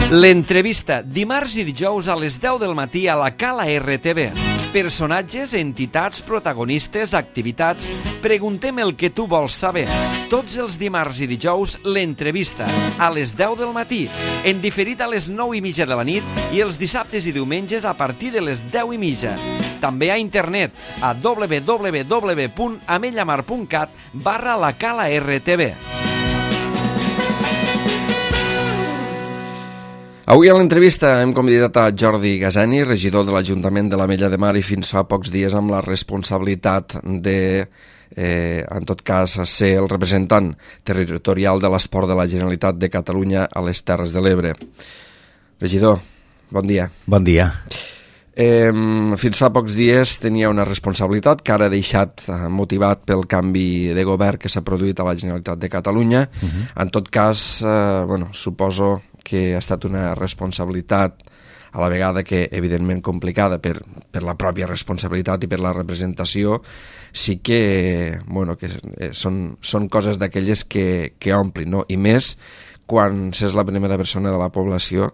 L'entrevista, dimarts i dijous a les 10 del matí a la Cala RTV. Personatges, entitats, protagonistes, activitats... Preguntem el que tu vols saber. Tots els dimarts i dijous, l'entrevista, a les 10 del matí, en diferit a les 9:30 de la nit i els dissabtes i diumenges a partir de les 10:30. També a internet a www.amellamar.cat/la Cala RTV. Avui a l'entrevista hem convidat a Jordi Gazani, regidor de l'Ajuntament de l'Ametlla de Mar i fins fa pocs dies amb la responsabilitat de, en tot cas, ser el representant territorial de l'esport de la Generalitat de Catalunya a les Terres de l'Ebre. Regidor, bon dia. Bon dia. Fins fa pocs dies tenia una responsabilitat que ara ha deixat motivat pel canvi de govern que s'ha produït a la Generalitat de Catalunya. En tot cas, suposo que ha estat una responsabilitat a la vegada que evidentment complicada per la pròpia responsabilitat i per la representació. Sí que, que són coses d'aquelles que omplin, no? I més quan s'és la primera persona de la població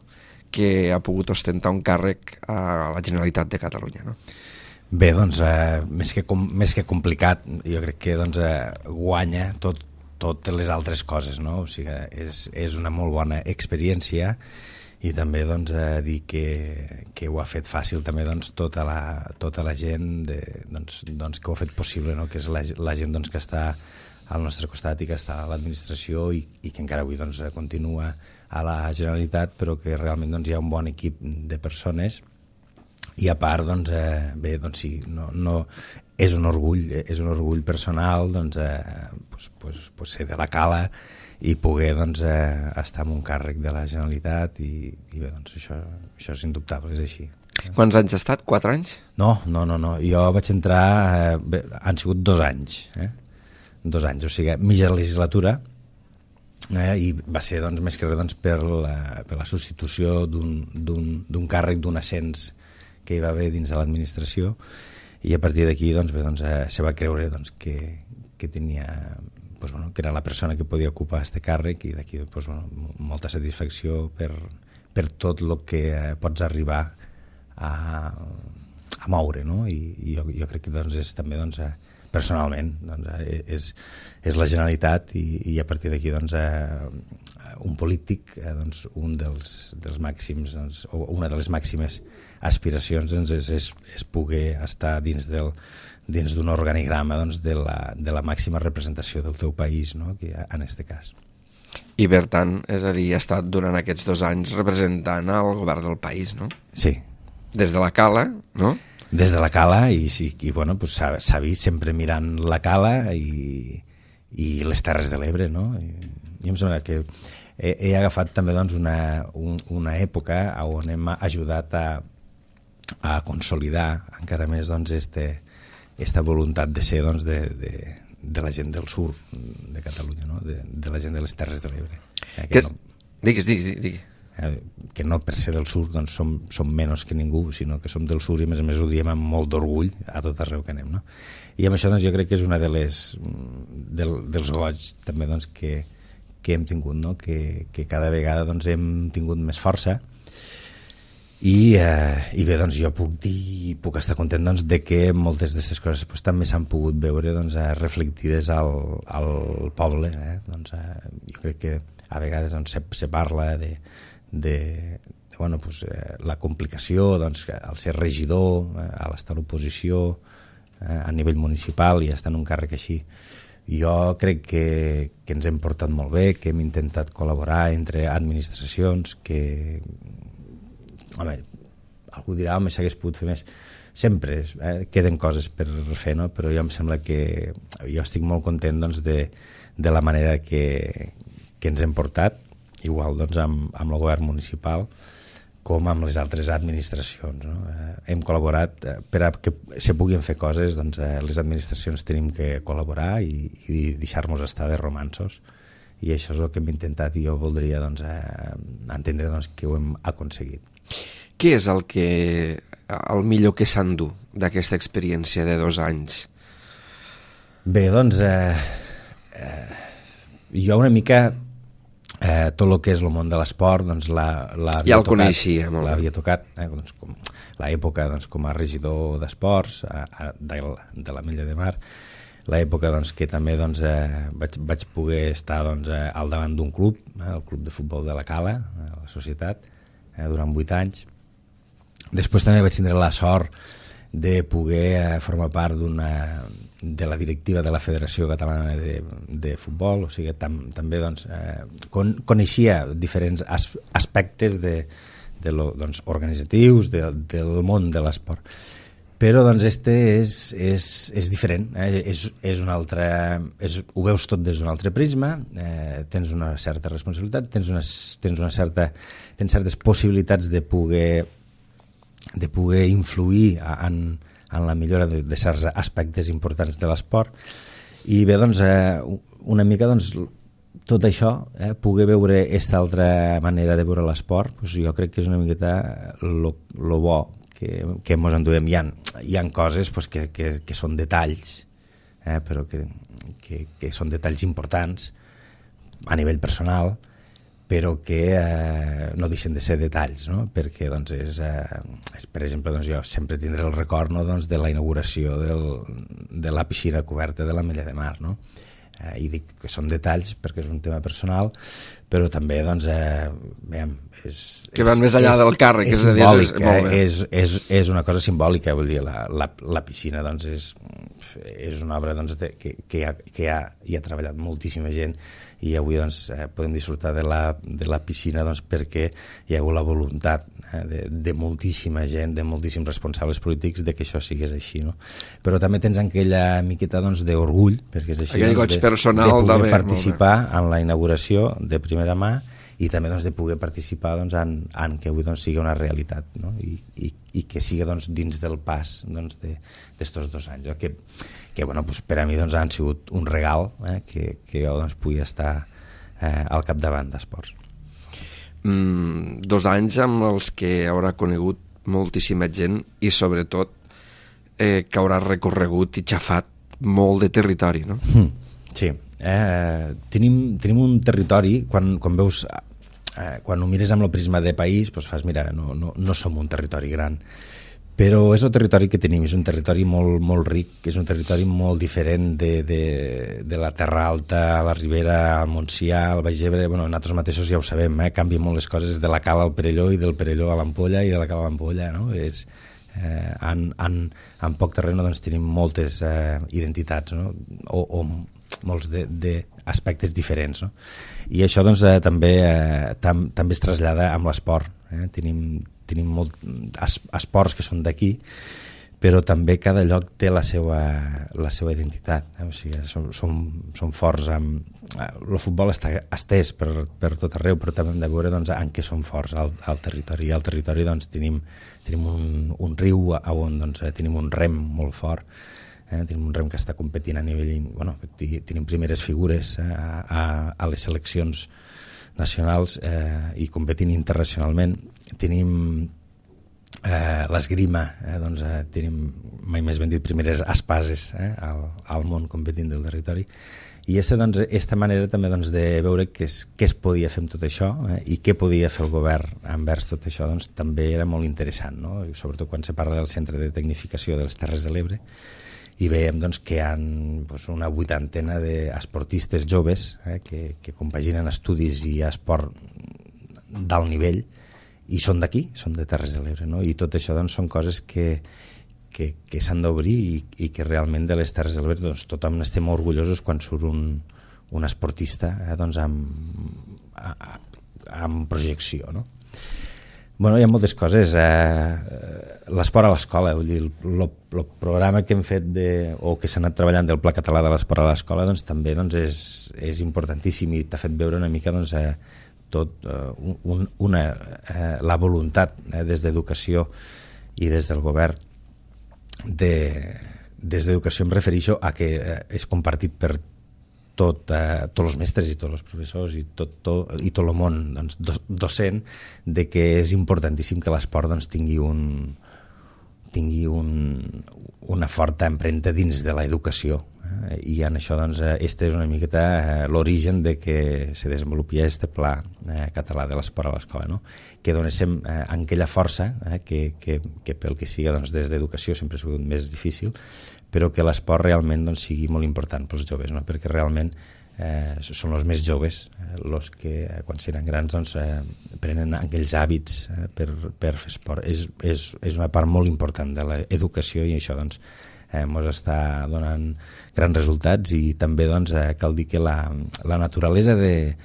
que ha pogut ostentar un càrrec a la Generalitat de Catalunya, no? Bé, doncs, més que complicat, jo crec que guanya totes les altres coses, no? O sigui, és una molt bona experiència i també dir que ho ha fet fàcil també tota la gent que ho ha fet possible, no? Que és la gent que està al nostre costat i que està a l'administració i que encara avui continua a la Generalitat, però que realment hi ha un bon equip de persones i a part, sí, no, és un orgull personal ser de la Cala i poder estar en un càrrec de la Generalitat i bé, això és indubtable, és així. Quants anys ha estat? 4 anys? No, jo vaig entrar, han sigut 2 anys, 2 anys, o sigui, mitja legislatura, i va ser més que res per la substitució d'un càrrec, d'un ascens que hi va haver dins de l'administració, i a partir d'aquí se va creure que tenia, que era la persona que podia ocupar aquest càrrec, i d'aquí molta satisfacció per tot el que pots arribar a moure, no? I jo crec que és també personalment és la Generalitat i a partir d'aquí un polític, un dels màxims o una de les màximes aspiracions és poder estar dins d'un organigrama de la màxima representació del teu país, no? En aquest cas. I per tant, és a dir, ha estat durant aquests 2 anys representant el govern del país, no? Sí. Des de la Cala, no? Des de la Cala s'ha vist sempre mirant la Cala i les Terres de l'Ebre, no? I em sembla que he agafat també una època on hem ajudat a consolidar encara més aquesta voluntat de ser de la gent del sud de Catalunya, no? De la gent de les Terres de l'Ebre. Digues. Que no per ser del sud som menys que ningú, sinó que som del sud i a més ho diem amb molt d'orgull a tot arreu que anem, no? I amb això jo crec que és una dels goig també que hem tingut, no? Que cada vegada hem tingut més força i bé, jo puc estar content de que moltes d'aquestes coses també s'han pogut veure reflectides al poble, jo crec que a vegades se parla de la complicació al ser regidor, a l'estar a l'oposició a nivell municipal i estar en un càrrec així. Jo crec que ens hem portat molt bé, que hem intentat col·laborar entre administracions, que algú dirà, s'hagués pogut fer més. Sempre queden coses per fer, no? Però jo em sembla que jo estic molt content de la manera que ens hem portat, igual amb el govern municipal com amb les altres administracions, no? Hem col·laborat per a que se puguin fer coses, les administracions tenim que col·laborar i deixar-nos estar de romanços, i això és el que hem intentat i jo voldria entendre que ho hem aconseguit. Què és el millor que s'endú d'aquesta experiència de 2 anys? Bé, jo una mica tot el que és el món de l'esport, doncs ja el coneixia molt bé. L'havia tocat, doncs, l'època doncs, com a regidor d'esports de l'Ametlla de Mar, l'època doncs, que també doncs, vaig poder estar doncs, al davant d'un club, el club de futbol de la Cala, la societat, durant 8 anys. Després també vaig tindre la sort de poder formar part de la directiva de la Federació Catalana de Futbol, o sigui, també doncs, coneixia diferents aspectes doncs, organitzatius del món de l'esport. Però doncs, és diferent, és un altre, ho veus tot des d'un altre prisma, tens una certa responsabilitat, tens certes possibilitats de poder influir en la millora de certs aspectes importants de l'esport. I bé, doncs, una mica doncs, tot això, poder veure aquesta altra manera de veure l'esport, doncs jo crec que és una miqueta lo bo que ens enduem. Hi ha coses doncs, que són detalls, però que són detalls importants a nivell personal, però que no deixen de ser detalls, no? Perquè doncs, per exemple, doncs, jo sempre tindré el record, no? Doncs, de la inauguració de la piscina coberta de l'Ametlla de Mar, no? I dic que són detalls perquè és un tema personal, però també doncs, que van més enllà del càrrec, és simbòlic, és una cosa simbòlica, vull dir, la piscina doncs, és una obra doncs, que hi ha treballat moltíssima gent, i avui doncs, podem disfrutar de la piscina doncs, perquè hi ha hagut la voluntat de moltíssima gent, de moltíssims responsables polítics de que això sigués així, no? Però també tens aquella miqueta doncs, d'orgull, perquè és així, doncs, de poder participar en la inauguració de primera mà, i també doncs, de poder participar doncs, en que avui doncs, sigui una realitat, no? I que sigui doncs, dins del pas doncs, d'estos 2 anys, que bueno, doncs, per a mi doncs, han sigut un regal, que jo doncs, pugui estar al capdavant d'esports. 2 anys amb els que haurà conegut moltíssima gent i sobretot que haurà recorregut i xafat molt de territori, no? Sí, tenim un territori, quan veus, quan ho mires amb el prisma de país, doncs fas, mira, no som un territori gran, però és el territori que tenim, és un territori molt, molt ric, és un territori molt diferent de la Terra Alta, a la Ribera, al Montsià, al Baix Ebre. Bueno, nosaltres mateixos ja ho sabem, canvien molt les coses de la Cala al Perelló i del Perelló a l'Ampolla i de la Cala a l'Ampolla, no? En poc terreny doncs, tenim moltes identitats, no? O molts d'aspectes diferents, no? I això doncs, també es trasllada amb l'esport. Tenim esports que són d'aquí, però també cada lloc té la seva identitat. O sigui, són forts. El futbol està estès per tot arreu, però també hem de veure doncs, en què són forts al territori. I al territori doncs, tenim un riu on doncs, tenim un rem molt fort, tenim un rem que està competint a nivell... Bueno, tenim primeres figures a les seleccions nacionals i competint internacionalment. Tenim l'esgrima, doncs, tenim, mai més ben dit, primeres espases al món competint del territori. I aquesta manera també doncs, de veure què es podia fer amb tot això i què podia fer el govern envers tot això, doncs, també era molt interessant, no? I sobretot quan se parla del Centre de Tecnificació de les Terres de l'Ebre, i veiem doncs, que hi ha una 80ena d'esportistes joves que compaginen estudis i esport d'alt nivell, i són d'aquí, són de Terres de l'Ebre, no? I tot això doncs, són coses que s'han d'obrir i que realment de les Terres de l'Ebre doncs, tothom estem orgullosos quan surt un esportista doncs, amb projecció, no? Bueno, hi ha moltes coses. L'esport a l'escola, vull dir, el programa que hem fet o que s'ha anat treballant del Pla Català de l'Esport a l'escola doncs, també doncs, és importantíssim i t'ha fet veure una mica doncs, tot la voluntat des d'educació i des del govern des d'educació em refereixo a que és compartit per tots els mestres i tots els professors i tot el món doncs, docent, de que és importantíssim que l'esport doncs, tingui una forta empremta dins de l'educació I en això doncs, este és una miqueta l'origen de que se desenvolupi este pla català de l'esport a l'escola, no? Que donéssim aquella força que pel que siga doncs, des d'educació sempre ha sigut més difícil, però que l'esport realment doncs, sigui molt important pels joves, no? Perquè realment són els més joves els que quan seran grans doncs, prenen aquells hàbits per fer esport. És una part molt important de l'educació i això doncs, ens està donant grans resultats i també doncs, cal dir que la naturalesa de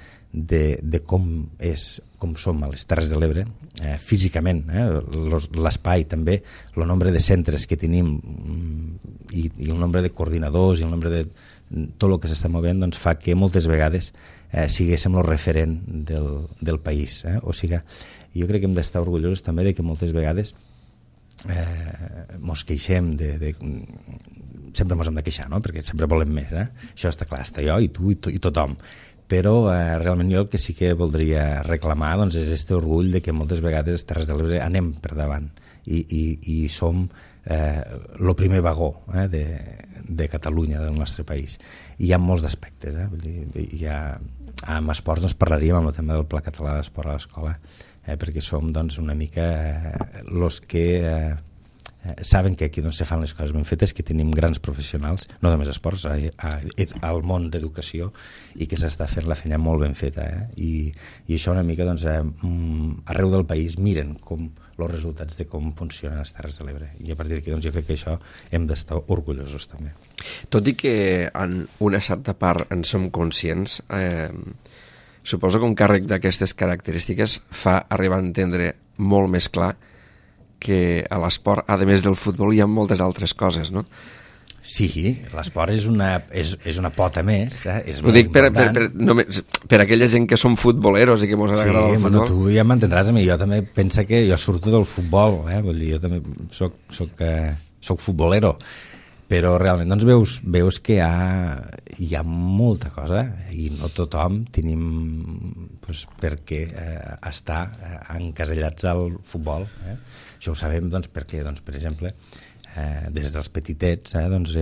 com som a les Terres de l'Ebre, físicament, l'espai també, el nombre de centres que tenim i el nombre de coordinadors i el nombre de tot el que s'està movent doncs, fa que moltes vegades siguéssim el referent del país. O sigui, jo crec que hem d'estar orgullosos també de que moltes vegades mos queixem sempre mos hem de queixar, no? Perquè sempre volem més, això està clar, està jo i tu i tothom, però realment jo el que sí que voldria reclamar doncs, és aquest orgull de que moltes vegades les Terres de l'Ebre anem per davant i som el primer vagó de Catalunya, del nostre país. I hi ha molts d'aspectes, amb esports doncs, parlaríem amb el tema del Pla Català d'Esport a l'escola, perquè som doncs, una mica els que saben que aquí doncs, se fan les coses ben fetes, que tenim grans professionals, no només esports, al món d'educació, i que s'està fent la feina molt ben feta. I això una mica doncs, arreu del país miren els resultats de com funcionen les Terres de l'Ebre, i a partir d'aquí doncs, jo crec que això hem d'estar orgullosos també. Tot i que en una certa part en som conscients, suposo que un càrrec d'aquestes característiques fa arribar a entendre molt més clar que a l'esport, a més del futbol, hi ha moltes altres coses, no? Sí, l'esport és una pota més, és molt important. Per aquella gent que som futboleros i que mos agrada el futbol. Sí, tu ja m'entendràs a mi, jo també penso que jo surto del futbol, vull dir, jo també soc futbolero, però realment doncs veus que hi ha molta cosa i no tothom tenim doncs, per què estar encasellats al futbol. Això ho sabem doncs, perquè, doncs, per exemple, des dels petitets, doncs,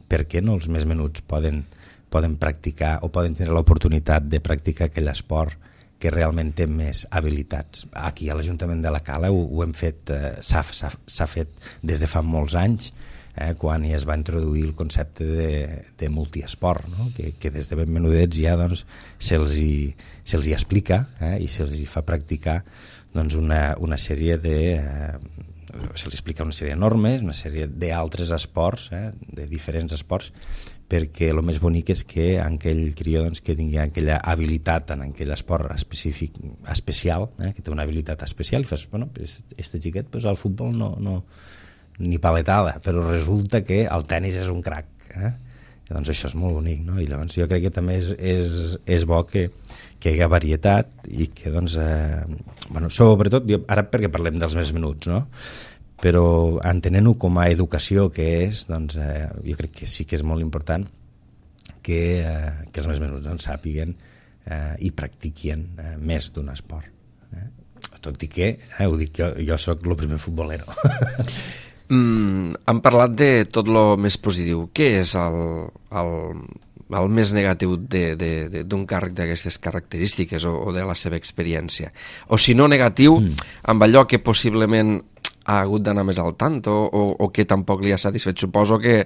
per què no els més menuts poden practicar o poden tenir l'oportunitat de practicar aquell esport que realment té més habilitats. Aquí a l'Ajuntament de la Cala ho hem fet, s'ha fet des de fa molts anys, quan es va introduir el concepte de multiesport, no? que des de ben menudets ja doncs, se'ls hi explica i se'ls hi fa practicar doncs, una sèrie se'ls explica una sèrie de normes, una sèrie d'altres esports, de diferents esports, perquè el més bonic és que aquell crió doncs, que tingui aquella habilitat en aquell esport específic, especial, que té una habilitat especial, i fas, bueno, este xiquet pues, al futbol no ni paletada, però resulta que el tennis és un crac. Doncs això és molt bonic, no? I llavors jo crec que també és bo que hi ha varietat i que, doncs, sobretot, ara perquè parlem dels més menuts, no? Però entenent-ho com a educació que és, doncs, jo crec que sí que és molt important que els més menuts doncs, sàpiguen i practiquin més d'un esport. Tot i que, ho dic, jo soc el primer futbolero. Hem parlat de tot el més positiu. Què és el més negatiu d'un càrrec d'aquestes característiques o de la seva experiència? O si no negatiu, amb allò que possiblement ha hagut d'anar més al tant o que tampoc li ha satisfet. Suposo que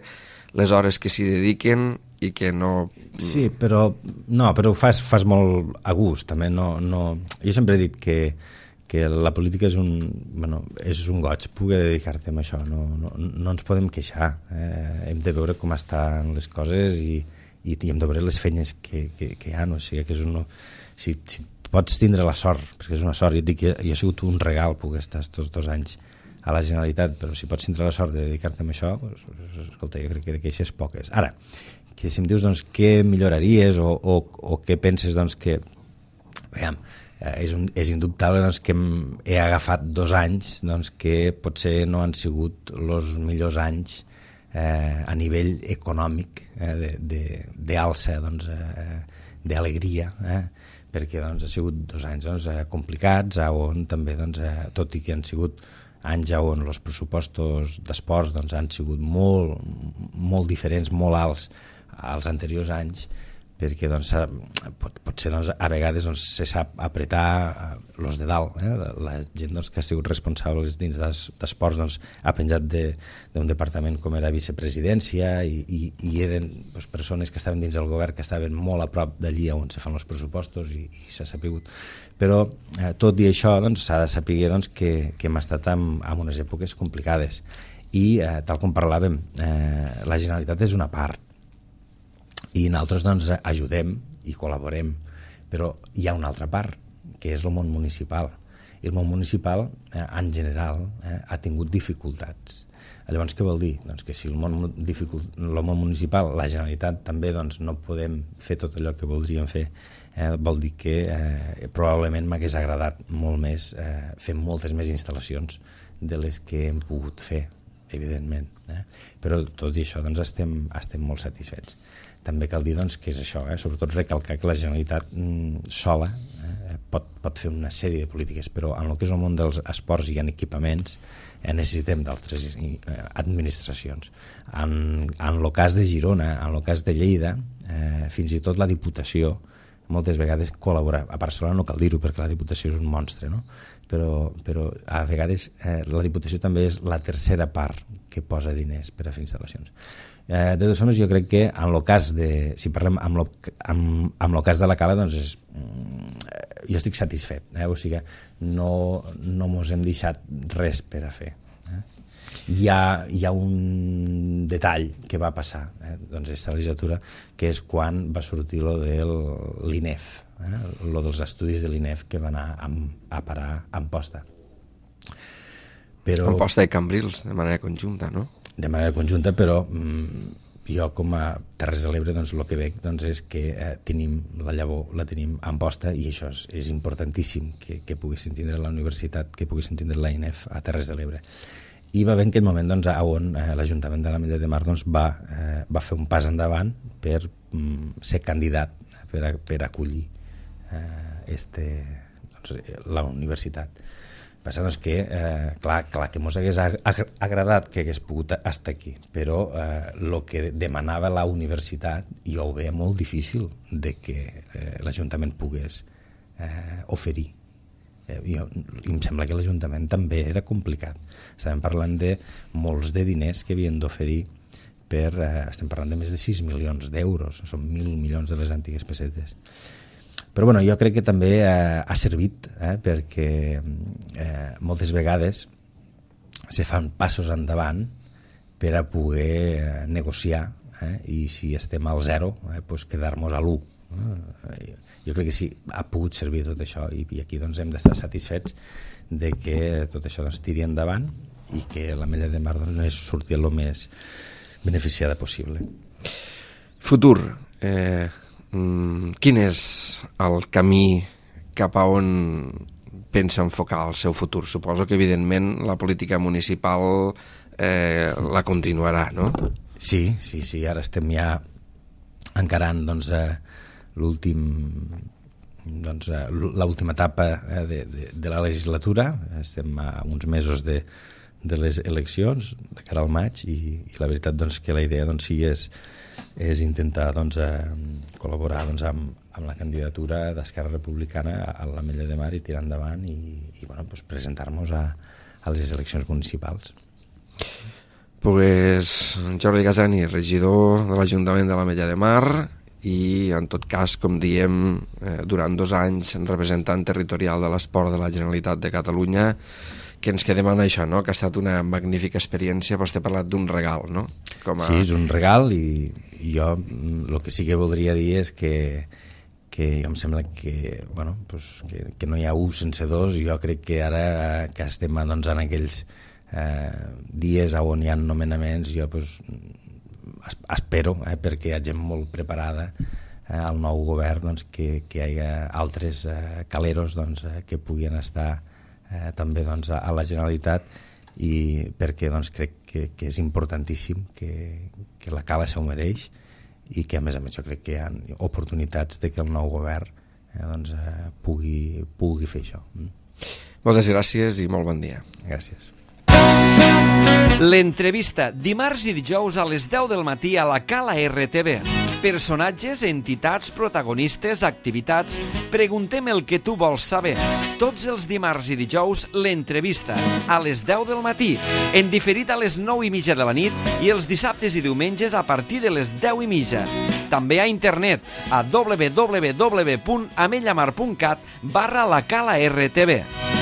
les hores que s'hi dediquen i que no... Sí, però ho fas molt a gust, també. Jo sempre he dit que la política és un goig poder dedicar-te a això, no ens podem queixar, hem de veure com estan les coses i hem de veure les feines que hi ha, o sigui que és si pots tindre la sort, perquè és una sort, jo et dic que jo he sigut un regal poder estar tots 2 anys a la Generalitat, però si pots tindre la sort de dedicar-te a això, escolta, jo crec que de queixes poques. Ara, que si em dius doncs, què milloraries o què penses doncs, que veiem, és indubtable doncs, que he agafat 2 anys doncs, que potser no han sigut els millors anys a nivell econòmic d'alça, doncs, d'alegria, perquè doncs, ha sigut 2 anys doncs, complicats, on també, doncs, tot i que han sigut anys on els pressupostos d'esports doncs, han sigut molt diferents, molt alts, als anteriors anys, perquè doncs, pot ser doncs, a vegades doncs, se sap apretar los de dalt, la gent doncs, que ha sigut responsable dins d'esports doncs, ha penjat d'un departament com era vicepresidència i eren doncs, persones que estaven dins del govern que estaven molt a prop d'allí on se fan els pressupostos i s'ha sapigut, però tot i això doncs, s'ha de saber doncs, que hem estat en unes èpoques complicades i tal com parlàvem, la Generalitat és una part i nosaltres doncs, ajudem i col·laborem, però hi ha una altra part, que és el món municipal. I el món municipal, en general, ha tingut dificultats. Llavors, què vol dir? Doncs que si el món municipal, la Generalitat també doncs, no podem fer tot allò que voldríem fer, vol dir que probablement m'hagués agradat molt més fer moltes més instal·lacions de les que hem pogut fer, evidentment. Però tot i això doncs, estem molt satisfets. També cal dir doncs, que és això, sobretot recalcar que la Generalitat sola pot fer una sèrie de polítiques, però en el que és el món dels esports i en equipaments necessitem d'altres administracions. En el cas de Girona, en el cas de Lleida, fins i tot la Diputació moltes vegades col·labora. A Barcelona no cal dir-ho perquè la Diputació és un monstre, no? Però a vegades la Diputació també és la tercera part que posa diners per a fer instal·lacions. De totes formes, jo crec que en el cas de, si parlem amb el cas de la Cala, doncs jo estic satisfet, o sigui, no mos hem deixat res per a fer. Hi ha un detall que va passar doncs aquesta legislatura, que és quan va sortir lo de l'INEF, lo dels estudis de l'INEF que va anar a parar a Amposta. Amposta i Cambrils, de manera conjunta, no? De manera conjunta, però jo com a Terres de l'Ebre doncs, el que veig doncs, és que tenim la llavor, la tenim a Amposta, i això és importantíssim que poguessin tindre la universitat, que poguessin tindre la INEF a Terres de l'Ebre. I va haver en aquell moment doncs, on l'Ajuntament de l'Ametlla de Mar doncs, va fer un pas endavant per ser candidat per acollir la universitat. Passa doncs, que, clar que ens hagués agradat que hagués pogut estar aquí, però el que demanava la universitat jo ho veia molt difícil de que l'Ajuntament pogués oferir. Em sembla que l'Ajuntament també era complicat. Estàvem parlant de molts de diners que havien d'oferir estem parlant de més de 6 milions d'euros, són 1.000 milions de les antigues pessetes. Però bueno, jo crec que també ha servit perquè moltes vegades se fan passos endavant per a poder negociar i si estem al 0 doncs quedar-nos a l'1. Jo crec que sí, ha pogut servir tot això i aquí doncs, hem d'estar satisfets de que tot això doncs, tiri endavant i que l'Ametlla de Mar doncs, surti el més beneficiada possible. Futur. Quin és el camí cap a on pensa enfocar el seu futur? Suposo que evidentment la política municipal la continuarà, no? Sí, ara estem ja encarant doncs, l'última etapa de la legislatura. Estem a uns mesos de les eleccions de cara al maig i la veritat doncs, que la idea doncs, sí és intentar doncs, col·laborar doncs, amb la candidatura d'Esquerra Republicana a l'Ametlla de Mar i tirar endavant i bueno, doncs, presentar-nos a les eleccions municipals. Pues, Jordi Gazani, regidor de l'Ajuntament de l'Ametlla de Mar i en tot cas, com diem, durant 2 anys representant territorial de l'esport de la Generalitat de Catalunya, que ens quedem en això, no? Que ha estat una magnífica experiència. Vostè ha parlat d'un regal, no? Sí, és un regal i jo el que sí que voldria dir és que jo em sembla que, bueno, pues, que no hi ha 1 sense 2 i jo crec que ara que estem doncs, en aquells dies on hi ha nomenaments, jo pues, espero, perquè hi ha gent molt preparada al nou govern doncs, que hi hagi altres caleros doncs, que puguin estar també doncs, a la Generalitat i perquè doncs, crec que és importantíssim que la Cala s'ho mereix i que a més jo crec que hi ha oportunitats de que el nou govern doncs, pugui fer això. Moltes gràcies i molt bon dia. Gràcies. L'entrevista, dimarts i dijous a les 10 del matí a la Cala RTV. Personatges, entitats, protagonistes, activitats... Preguntem el que tu vols saber. Tots els dimarts i dijous, l'entrevista, a les 10 del matí, en diferit a les 9:30 de la nit i els dissabtes i diumenges a partir de les 10:30. També a internet a www.amellamar.cat/la Cala RTV.